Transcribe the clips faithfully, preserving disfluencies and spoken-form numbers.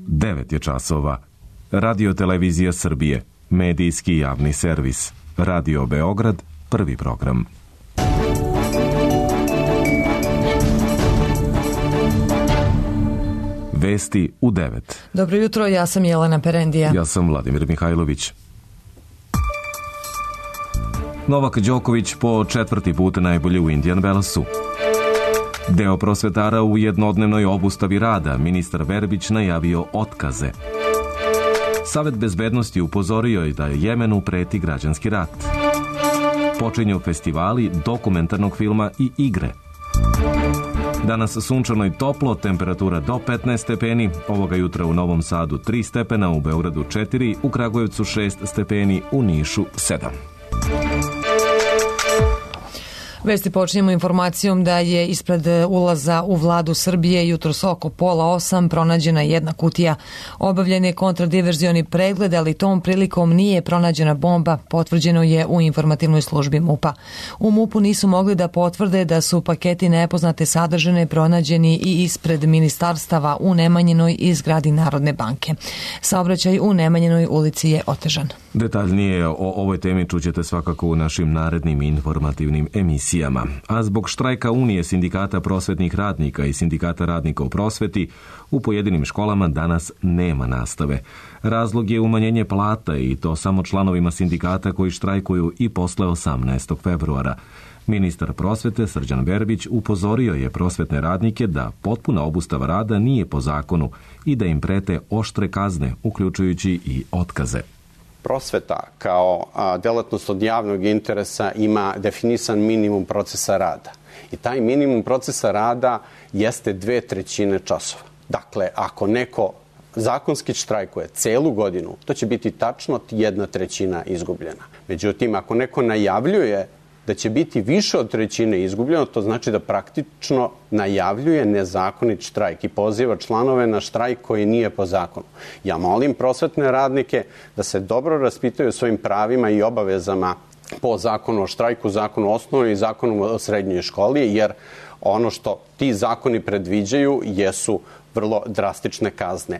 devet je časova. Radio Televizija Srbije, medijski javni servis. Radio Beograd, prvi program. Vesti u devet. Dobro jutro, ja sam Jelena Perendija. Ja sam Vladimir Mihajlović. Novak Đoković po četvrti put najbolje u Indian Wellsu. Deo prosvetara u jednodnevnoj obustavi rada, ministar Verbić najavio otkaze. Savet bezbednosti upozorio je da Jemenu preti građanski rat. Počinju festivali dokumentarnog filma i igre. Danas sunčano i toplo, temperatura do petnaest stepeni, ovoga jutra u Novom Sadu tri stepena, u Beogradu četiri, u Kragujevcu šest stepeni, u Nišu sedam. Vesti počinjemo informacijom da je ispred ulaza u vladu Srbije jutros oko pola osam pronađena jedna kutija. Obavljen je kontradiverzioni pregled, ali tom prilikom nije pronađena bomba, potvrđeno je u informativnoj službi MUP-a. U MUP-u nisu mogli da potvrde da su paketi nepoznate sadržine pronađeni i ispred ministarstava u Nemanjinoj i zgradi Narodne banke. Saobraćaj u Nemanjinoj ulici je otežan. Detaljnije o ovoj temi čućete svakako u našim narednim informativnim emisijama. A zbog štrajka Unije sindikata prosvetnih radnika i sindikata radnika u prosveti, u pojedinim školama danas nema nastave. Razlog je umanjenje plata i to samo članovima sindikata koji štrajkuju i posle osamnaestog februara. Ministar prosvete Srđan Verbić upozorio je prosvetne radnike da potpuna obustava rada nije po zakonu i da im prete oštre kazne, uključujući i otkaze. Prosveta kao delatnost od javnog interesa ima definisan minimum procesa rada. I taj minimum procesa rada jeste dve trećine časova. Dakle, ako neko zakonski štrajkuje celu godinu, to će biti tačno jedna trećina izgubljena. Međutim, ako neko najavljuje da će biti više od trećine izgubljeno, to znači da praktično najavljuje nezakonit štrajk i poziva članove na štrajk koji nije po zakonu. Ja molim prosvetne radnike da se dobro raspitaju o svojim pravima i obavezama po zakonu o štrajku, zakonu o osnovnoj i zakonu o srednjoj školi, jer ono što ti zakoni predviđaju jesu vrlo drastične kazne.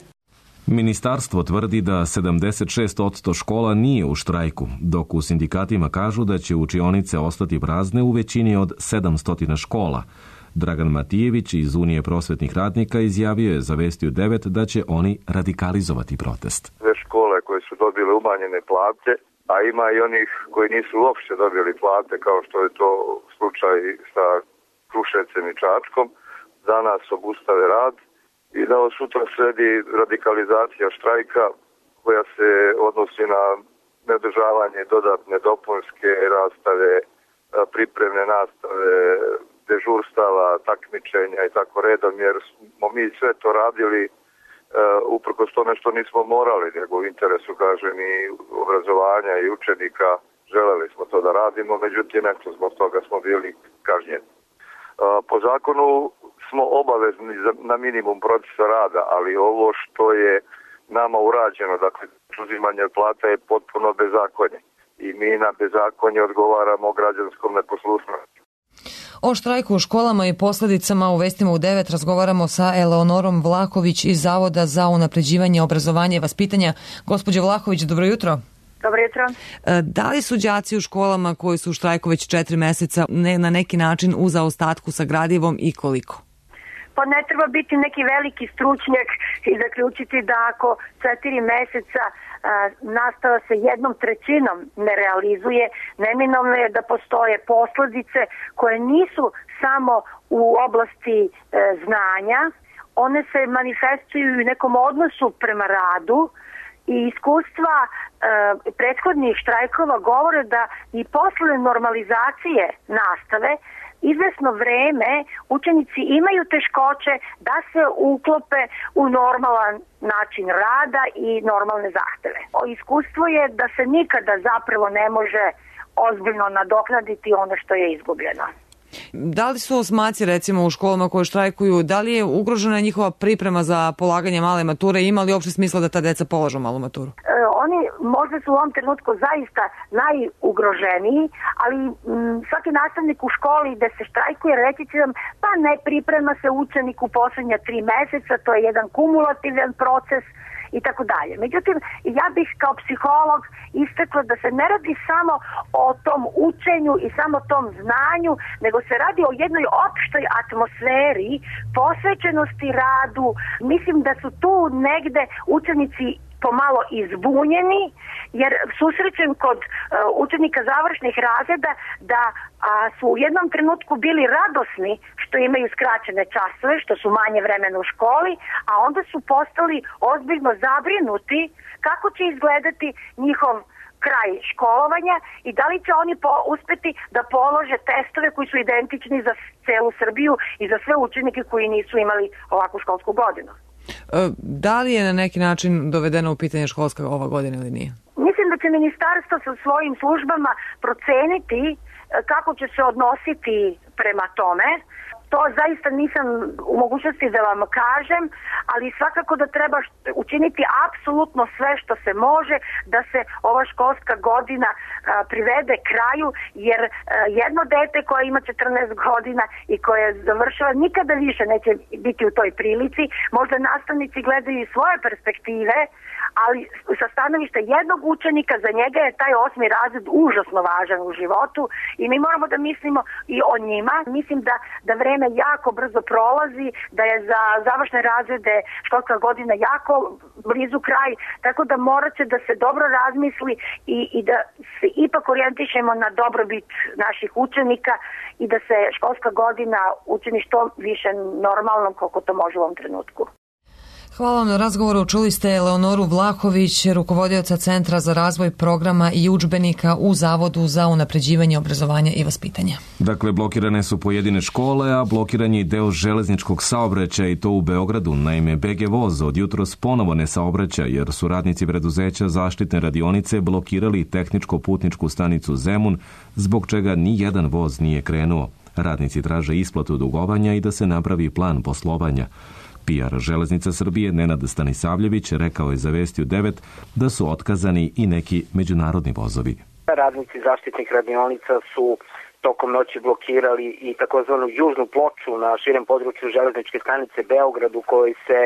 Ministarstvo tvrdi da sedamdeset šest posto škola nije u štrajku, dok u sindikatima kažu da će učionice ostati prazne u većini od sedamsto škola. Dragan Matijević iz Unije prosvetnih radnika izjavio je za Vesti u devet da će oni radikalizovati protest. Sve škole koje su dobile umanjene plate, a ima i onih koji nisu uopšte dobili plate, kao što je to slučaj sa Kruševcem i Čačkom, danas obustave rad i da od sutra sledi radikalizacija štrajka koja se odnosi na neodržavanje dodatne dopunske rastave, pripremne nastave, dežurstava, takmičenja i tako redom, jer smo mi sve to radili uh, uprkos tome što nismo morali, nego u interesu, kažem, i obrazovanja i učenika. Želeli smo to da radimo, međutim, eto, zbog toga smo bili kažnjeni. Uh, po zakonu smo obavezni na minimum procesa rada, ali ovo što je nama urađeno, dakle, uzimanje plata je potpuno bezakonje. I mi na bezakonje odgovaramo građanskom neposlušnošću. O štrajku u školama i posledicama u Vestima u devet razgovaramo sa Eleonorom Vlahović iz Zavoda za unapređivanje obrazovanja i vaspitanja. Gospođo Vlahović, dobro jutro. Dobro jutro. Da li su đaci u školama koji su u štrajku već četiri meseca ne, na neki način u zaostatku sa gradivom i koliko? Pa ne treba biti neki veliki stručnjak i zaključiti da ako četiri meseca a, nastava se jednom trećinom ne realizuje, neminovno je da postoje posledice koje nisu samo u oblasti e, znanja, one se manifestuju u nekom odnosu prema radu i iskustva e, prethodnih štrajkova govore da i posle normalizacije nastave izvesno vreme učenici imaju teškoće da se uklope u normalan način rada i normalne zahteve. Iskustvo je da se nikada zapravo ne može ozbiljno nadoknaditi ono što je izgubljeno. Da li su osmaci recimo u školama koje štrajkuju, da li je ugrožena njihova priprema za polaganje male mature i ima li uopšte smisla da ta deca polažu malu maturu? E, oni možda su u ovom trenutku zaista najugroženiji, ali m, svaki nastavnik u školi gde se štrajkuje reći će vam pa ne priprema se učenik u poslednja tri meseca, to je jedan kumulativan proces i tako dalje. Međutim, ja bih kao psiholog istakla da se ne radi samo o tom učenju i samo tom znanju, nego se radi o jednoj opštoj atmosferi, posvećenosti radu. Mislim da su tu negde učenici pomalo izbunjeni, jer susrećem kod uh, učenika završnih razreda da a, su u jednom trenutku bili radosni što imaju skraćene časove, što su manje vremena u školi, a onda su postali ozbiljno zabrinuti kako će izgledati njihov kraj školovanja i da li će oni po, uspeti da polože testove koji su identični za celu Srbiju i za sve učenike koji nisu imali ovakvu školsku godinu. Da li je na neki način dovedeno u pitanje školska ova godina ili nije? Mislim da će ministarstvo sa svojim službama proceniti kako će se odnositi prema tome. To zaista nisam u mogućnosti da vam kažem, ali svakako da treba učiniti apsolutno sve što se može da se ova školska godina a, privede kraju, jer a, jedno dete koje ima četrnaest godina i koje završava nikada više neće biti u toj prilici. Možda nastavnici gledaju i svoje perspektive, ali sa stanovišta jednog učenika za njega je taj osmi razred užasno važan u životu i mi moramo da mislimo i o njima. Mislim da, da vreme jako brzo prolazi, da je za završne razrede školska godina jako blizu kraj, tako da morat će da se dobro razmisli i, i da se ipak orijentišemo na dobrobit naših učenika i da se školska godina učini što više normalnom koliko to može u ovom trenutku. Hvala vam na razgovoru. Čuli ste Eleonoru Vlahović, rukovodioca Centra za razvoj programa i udžbenika u Zavodu za unapređivanje obrazovanja i vaspitanja. Dakle, blokirane su pojedine škole, a blokiran je i deo železničkog saobraćaja i to u Beogradu. Naime, B G Voz od jutros ponovo ne saobraća jer su radnici preduzeća Zaštitne radionice blokirali tehničko-putničku stanicu Zemun, zbog čega ni jedan voz nije krenuo. Radnici traže isplatu dugovanja i da se napravi plan poslovanja. P R Železnica Srbije Nenad Stanisavljević rekao je za Vesti u devet da su otkazani i neki međunarodni vozovi. Radnici zaštitnih radionica su tokom noći blokirali i takozvanu južnu ploču na širem području železničke stanice Beograd u kojoj se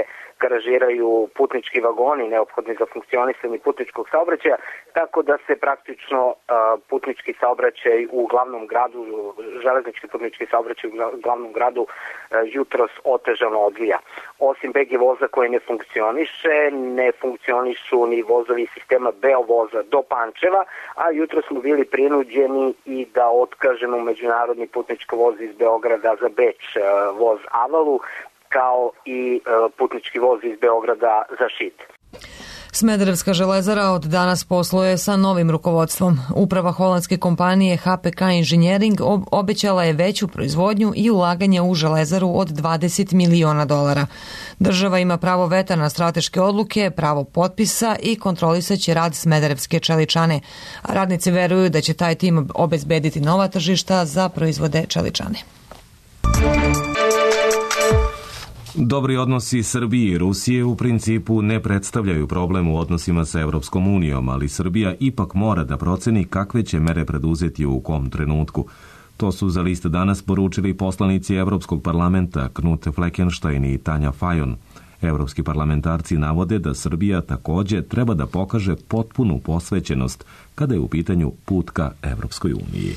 garažiraju putnički vagoni neophodni za funkcionisanje putničkog saobraćaja, tako da se praktično uh, putnički saobraćaj u glavnom gradu, železnički putnički saobraćaj u glavnom gradu uh, jutros otežano odvija. Osim B G voza koji ne funkcioniše, ne funkcionišu ni vozovi sistema Beovoza do Pančeva, a jutros smo bili prinuđeni i da otkažemo međunarodni putnički voz iz Beograda za Beč, uh, voz Avalu, kao i putnički voz iz Beograda za Šid. Smederevska železara od danas posluje sa novim rukovodstvom. Uprava holandske kompanije H P K Engineering obećala je veću proizvodnju i ulaganje u železaru od dvadeset miliona dolara. Država ima pravo veta na strateške odluke, pravo potpisa i kontrolisaće rad Smederevske čeličane. A radnici veruju da će taj tim obezbediti nova tržišta za proizvode čeličane. Dobri odnosi Srbije i Rusije u principu ne predstavljaju problem u odnosima sa Evropskom unijom, ali Srbija ipak mora da proceni kakve će mere preduzeti u kom trenutku. To su za List danas poručili poslanici Evropskog parlamenta Knut Fleckenstein i Tanja Fajon. Evropski parlamentarci navode da Srbija takođe treba da pokaže potpunu posvećenost kada je u pitanju put ka Evropskoj uniji.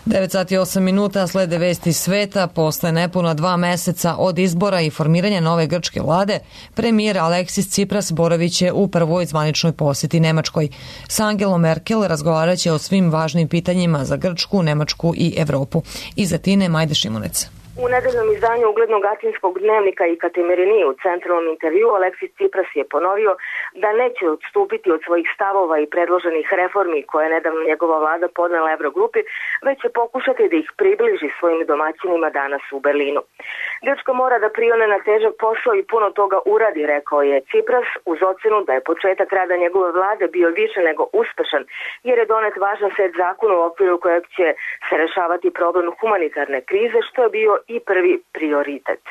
devet sati i osam minuta slede vesti sveta. Posle nepuna dva meseca od izbora i formiranja nove grčke vlade, premijer Aleksis Tsipras boravit će u prvoj zvaničnoj poseti Nemačkoj. S Angelom Merkel razgovarat će o svim važnim pitanjima za Grčku, Nemačku i Evropu. Iz Atine Majde Šimunec. U nedeljnom izdanju uglednog atinskog dnevnika i Katemerini u centralnom intervju Aleksis Tsipras je ponovio da neće odstupiti od svojih stavova i predloženih reformi koje je nedavno njegova vlada podnela Evrogrupi, već će pokušati da ih približi svojim domaćinima danas u Berlinu. Grčka mora da prione na težak posao i puno toga uradi, rekao je Tsipras, uz ocenu da je početak rada njegove vlade bio više nego uspešan, jer je donet važan set zakona u okviru kojeg će se rešavati problem humanitarne krize, što je bio i prvi prioritet.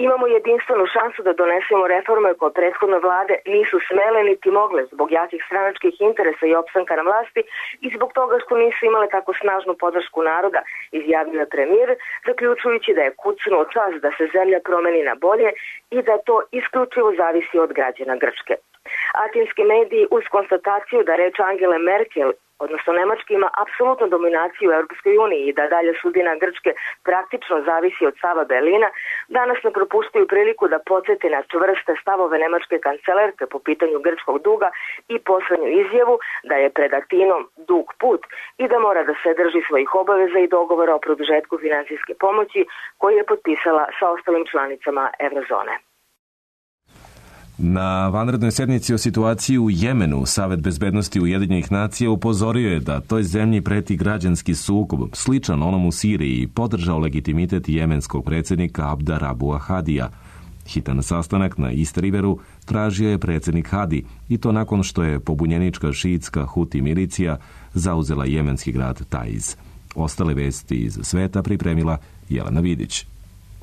Imamo jedinstvenu šansu da donesemo reforme koje prethodne vlade nisu smele niti mogle zbog jakih stranačkih interesa i opstanka na vlasti i zbog toga što nisu imale tako snažnu podršku naroda, izjavio je premijer, zaključujući da je kucnuo čas da se zemlja promeni na bolje i da to isključivo zavisi od građana Grčke. Atinski mediji uz konstataciju da reč Angele Merkel, odnosno Nemačka, ima apsolutnu dominaciju u Europskoj uniji i da dalje sudbina Grčke praktično zavisi od stava Berlina, danas ne propuštaju priliku da podsjete na čvrste stavove nemačke kancelarke po pitanju grčkog duga i poslednju izjavu da je pred Atinom dug put i da mora da se drži svojih obaveza i dogovora o produžetku finansijske pomoći koji je potpisala sa ostalim članicama Eurozone. Na vanrednoj sednici o situaciji u Jemenu Savet bezbednosti Ujedinjenih nacija upozorio je da toj zemlji preti građanski sukob sličan onom u Siriji i podržao legitimitet jemenskog predsjednika Abda Rabu'a Hadija. Hitan sastanak na East Riveru tražio je predsjednik Hadi i to nakon što je pobunjenička šiitska Huti milicija zauzela jemenski grad Taiz. Ostale vesti iz sveta pripremila Jelena Vidić.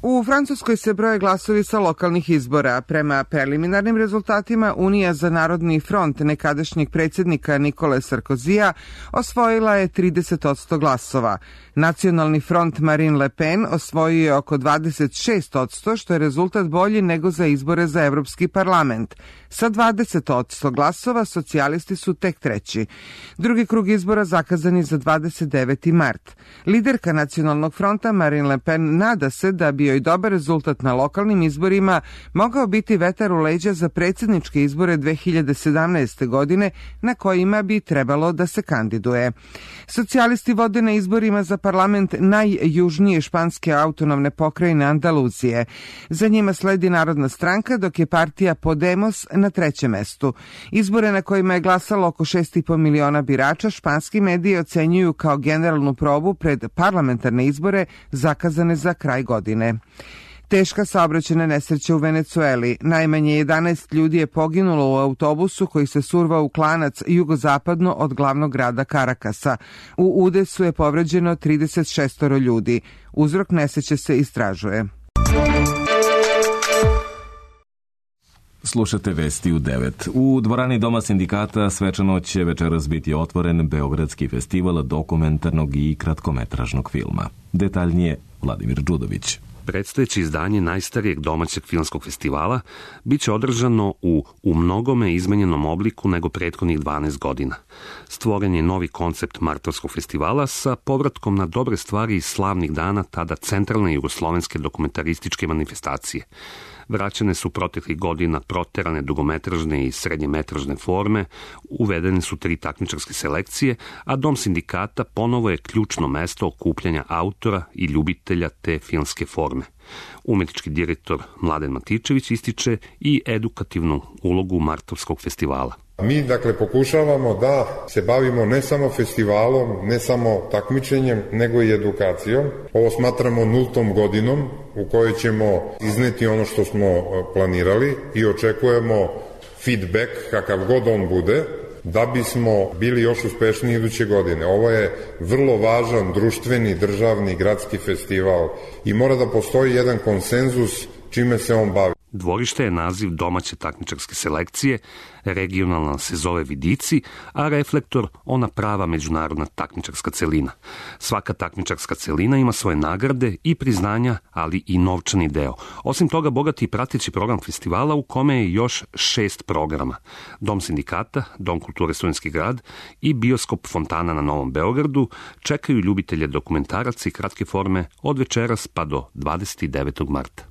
U Francuskoj se broje glasovi sa lokalnih izbora. Prema preliminarnim rezultatima, Unija za narodni front nekadašnjeg predsjednika Nikole Sarkozija osvojila je trideset posto glasova. Nacionalni front Marine Le Pen osvojio je oko dvadeset šest posto, što je rezultat bolji nego za izbore za Evropski parlament. Sa dvadeset posto glasova socijalisti su tek treći. Drugi krug izbora zakazan je za dvadeset deveti mart. Liderka Nacionalnog fronta Marine Le Pen nada se da bi joj dobar rezultat na lokalnim izborima mogao biti vetar u leđa za predsjedničke izbore dve hiljade sedamnaeste. godine na kojima bi trebalo da se kandiduje. Socijalisti vode na izborima za parlament najjužnije španske autonomne pokrajine Andaluzije. Za njima sledi Narodna stranka, dok je partija Podemos na trećem mestu. Izbore na kojima je glasalo oko šest i po miliona birača španski mediji ocenjuju kao generalnu probu pred parlamentarne izbore zakazane za kraj godine. Teška saobraćajna nesreća u Venecueli. Najmanje jedanaest ljudi je poginulo u autobusu koji se survao u klanac jugozapadno od glavnog grada Karakasa. U udesu je povređeno trideset šest ljudi. Uzrok nesreće se istražuje. Slušate vesti u devet. U dvorani Doma sindikata svečano će večeras biti otvoren Beogradski festival dokumentarnog i kratkometražnog filma. Detaljnije Vladimir Đudović. Predstojeće izdanje najstarijeg domaćeg filmskog festivala biće održano u u mnogome izmenjenom obliku nego prethodnih dvanaest godina. Stvoren je novi koncept Martovskog festivala sa povratkom na dobre stvari iz slavnih dana tada centralne jugoslovenske dokumentarističke manifestacije. Vraćane su proteklih godina proterane dugometražne i srednjemetražne forme, uvedene su tri takmičarske selekcije, a Dom sindikata ponovo je ključno mesto okupljanja autora i ljubitelja te filmske forme. Umetnički direktor Mladen Matičević ističe i edukativnu ulogu Martovskog festivala. Mi, dakle, pokušavamo da se bavimo ne samo festivalom, ne samo takmičenjem, nego i edukacijom. Ovo smatramo nultom godinom u kojoj ćemo izneti ono što smo planirali i očekujemo feedback, kakav god on bude, da bismo bili još uspešniji iduće godine. Ovo je vrlo važan društveni, državni, gradski festival i mora da postoji jedan konsenzus čime se on bavi. Dvorište je naziv domaće takmičarske selekcije, regionalna se zove Vidici, a Reflektor ona prava međunarodna takmičarska celina. Svaka takmičarska celina ima svoje nagrade i priznanja, ali i novčani deo. Osim toga, bogati i prateći program festivala u kome je još šest programa. Dom sindikata, Dom kulture Studentski grad i bioskop Fontana na Novom Beogradu čekaju ljubitelje dokumentaraca i kratke forme od večeras pa do dvadeset devetog marta.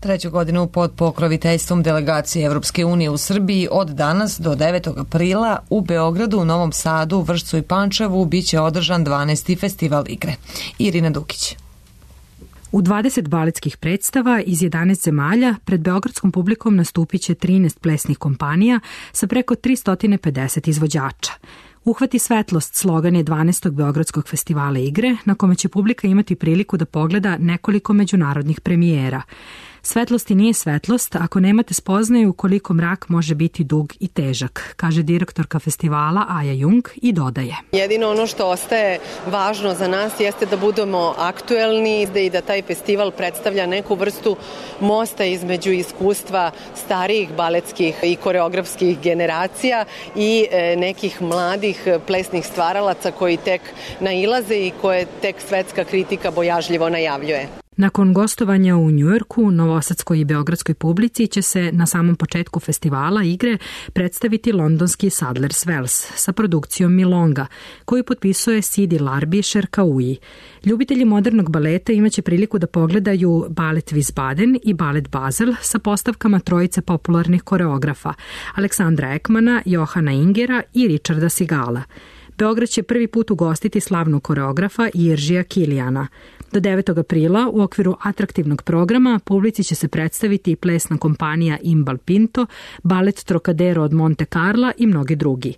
Treću godinu pod pokroviteljstvom delegacije Evropske unije u Srbiji od danas do devetog aprila u Beogradu, Novom Sadu, Vršcu i Pančevu biće održan dvanaesti festival igre. Irina Dukić. U dvadeset baletskih predstava iz jedanaest zemalja pred beogradskom publikom nastupit će trinaest plesnih kompanija sa preko tristo pedeset izvođača. Uhvati svetlost slogan je dvanaestog Beogradskog festivala igre, na kome će publika imati priliku da pogleda nekoliko međunarodnih premijera. Svetlost i nije svetlost ako nemate spoznaju koliko mrak može biti dug i težak, kaže direktorka festivala Aja Jung i dodaje. Jedino ono što ostaje važno za nas jeste da budemo aktuelni i da taj festival predstavlja neku vrstu mosta između iskustva starijih baletskih i koreografskih generacija i nekih mladih plesnih stvaralaca koji tek nailaze i koje tek svetska kritika bojažljivo najavljuje. Nakon gostovanja u Njujorku, novosadskoj i beogradskoj publici će se na samom početku festivala igre predstaviti londonski Sadler's Wells sa produkcijom Milonga, koju potpisuje Sidi Larbi Šerkauji. Ljubitelji modernog baleta imaće priliku da pogledaju balet Wiesbaden i balet Basel sa postavkama trojice popularnih koreografa Aleksandra Ekmana, Johana Ingera i Richarda Sigala. Beograd će prvi put ugostiti slavnog koreografa Jiržija Kilijana. Do devetog aprila u okviru atraktivnog programa publici će se predstaviti i plesna kompanija Imbal Pinto, balet Trocadero od Monte Carla i mnogi drugi.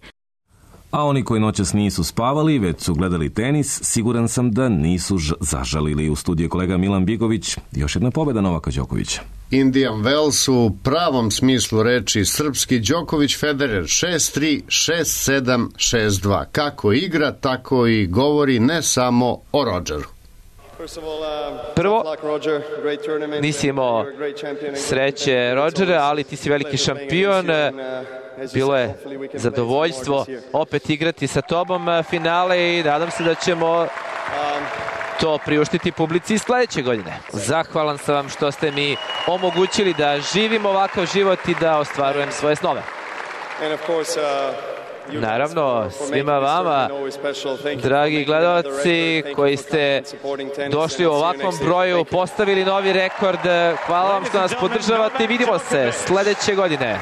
A oni koji noćas nisu spavali, već su gledali tenis, siguran sam da nisu zažalili. U studiju kolega Milan Bigović, još jedna pobjeda Novaka Đokovića. Indian Wells u pravom smislu reči srpski Đoković Federer šest tri, šest sedam, šest dva. Kako igra, tako i govori ne samo o Rodgeru. Prvo, nisi imao sreće, Rodgere, ali ti si veliki šampion. Bilo je zadovoljstvo opet igrati sa tobom finale i nadam se da ćemo to priuštiti publici sledeće godine. Zahvalan sam vam što ste mi omogućili da živim ovakav život i da ostvarujem svoje snove. Naravno, svima vama, dragi gledalci koji ste došli u ovakvom broju, postavili novi rekord. Hvala vam što nas podržavate i vidimo se sledeće godine.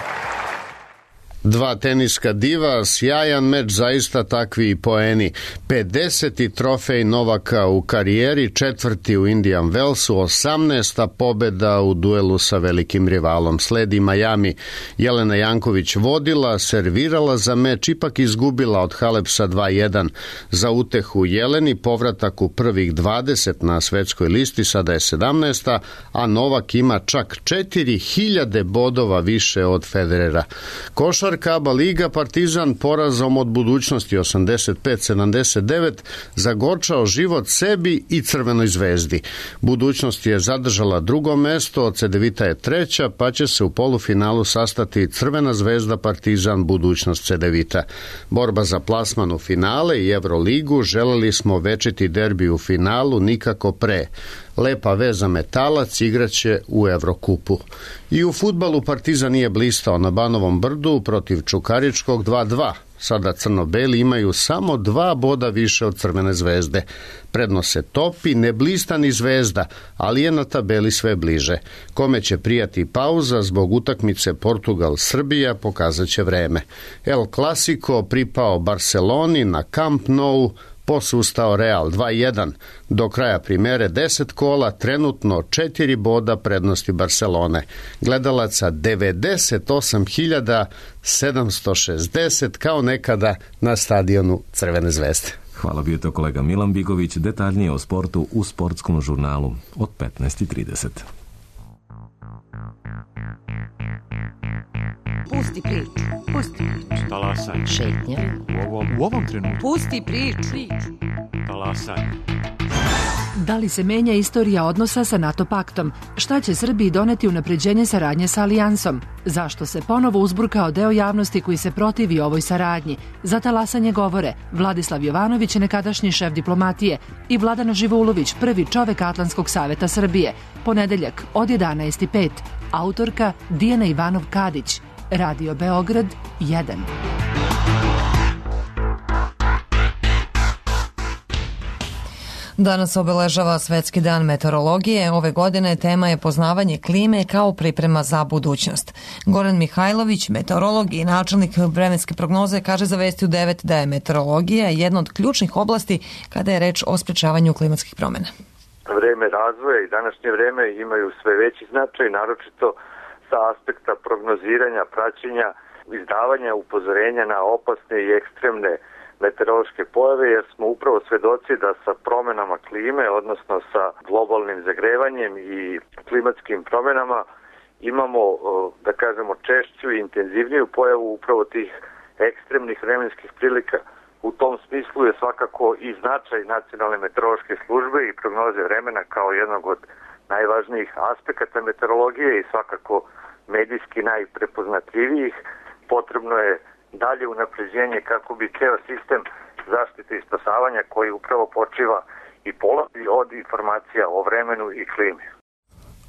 Dva teniska diva, sjajan meč, zaista takvi poeni. pedeseti trofej Novaka u karijeri, četvrti u Indian Wellsu, osamnaesta pobeda u duelu sa velikim rivalom. Sledi Miami. Jelena Janković vodila, servirala za meč, ipak izgubila od Halepsa dva jedan. Za utehu Jeleni povratak u prvih dvadeset na svetskoj listi, sada je sedamnaesta, a Novak ima čak četiri hiljade bodova više od Federera. Košar Aba Liga, Partizan porazom od Budućnosti osamdeset pet sedamdeset devet zagorčao život sebi i Crvenoj zvezdi. Budućnost je zadržala drugo mesto, Cedevita je treća, pa će se u polufinalu sastati Crvena zvezda, Partizan, Budućnost, Cedevita. Borba za plasman u finale i Euroligu, želeli smo večiti derbi u finalu, nikako pre. Lepa veza Metalac igraće u Evrokupu. I u fudbalu Partizan nije blistao na Banovom brdu protiv Čukaričkog dva dva. Sada crno-beli imaju samo dva boda više od Crvene zvezde. Prednost se topi, ne blista ni Zvezda, ali je na tabeli sve bliže. Kome će prijati pauza zbog utakmice Portugal-Srbija, pokazat će vreme. El Clasico pripao Barceloni na Camp Nou, posustao Real dva jedan. Do kraja primere deset kola, trenutno četiri boda prednosti Barcelone. Gledalaca devedeset osam hiljada sedamsto šezdeset kao nekada na stadionu Crvene zvezde. Hvala, bio to kolega Milan Bigović. Detaljnije o sportu u sportskom žurnalu od petnaest i trideset. Pusti priču, pusti priču. Talasaj. Šetnja. U ovom, u ovom trenutku. Pusti priču. Talasaj. Da li se menja istorija odnosa sa NATO paktom? Šta će Srbiji doneti unapređenje saradnje sa Alijansom? Zašto se ponovo uzburkao deo javnosti koji se protivi ovoj saradnji? Za talasanje govore Vladislav Jovanović, nekadašnji šef diplomatije, i Vladana Živoulović, prvi čovek Atlantskog saveta Srbije. Ponedeljak od jedanaest i pet. Autorka Dijana Ivanov-Kadić. Radio Beograd jedan. Danas obeležava Svetski dan meteorologije. Ove godine tema je poznavanje klime kao priprema za budućnost. Goran Mihajlović, meteorolog i načelnik vremenske prognoze, kaže za Vesti u devet da je meteorologija jedna od ključnih oblasti kada je reč o sprečavanju klimatskih promjena. Vreme razvoja i današnje vreme imaju sve veći značaj, naročito sa aspekta prognoziranja, praćenja, izdavanja upozorenja na opasne i ekstremne meteorološke pojave, jer smo upravo svedoci da sa promenama klime, odnosno sa globalnim zagrevanjem i klimatskim promenama, imamo, da kažemo, češću i intenzivniju pojavu upravo tih ekstremnih vremenskih prilika. U tom smislu je svakako i značaj Nacionalne meteorološke službe i prognoze vremena kao jednog od najvažnijih aspekata meteorologije i svakako medijski najprepoznatljivijih. Potrebno je dalje unapređenje kako bi ceo sistem zaštite i spasavanja koji upravo počiva i polazi od informacija o vremenu i klimi.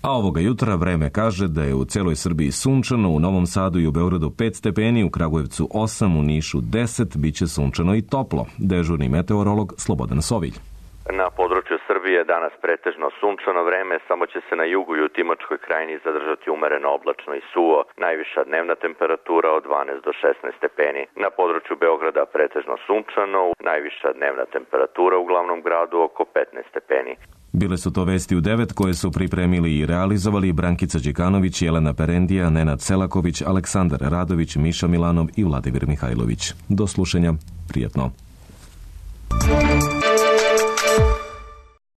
A ovoga jutra vreme kaže da je u celoj Srbiji sunčano, u Novom Sadu i u Beogradu pet stepeni, u Kragujevcu osam, u Nišu deset, biće sunčano i toplo. Dežurni meteorolog Slobodan Sovilj. Na području Srbije danas pretežno sunčano vreme, samo će se na jugu i u Timočkoj krajini zadržati umereno oblačno i suvo. Najviša dnevna temperatura od dvanaest do šesnaest stepeni. Na području Beograda pretežno sunčano, najviša dnevna temperatura u glavnom gradu oko petnaest stepeni. Bile su to vesti u devet koje su pripremili i realizovali Brankica Đikanović, Jelena Perendija, Nenad Selaković, Aleksandar Radović, Miša Milanov i Vladimir Mihajlović. Do slušanja, prijetno.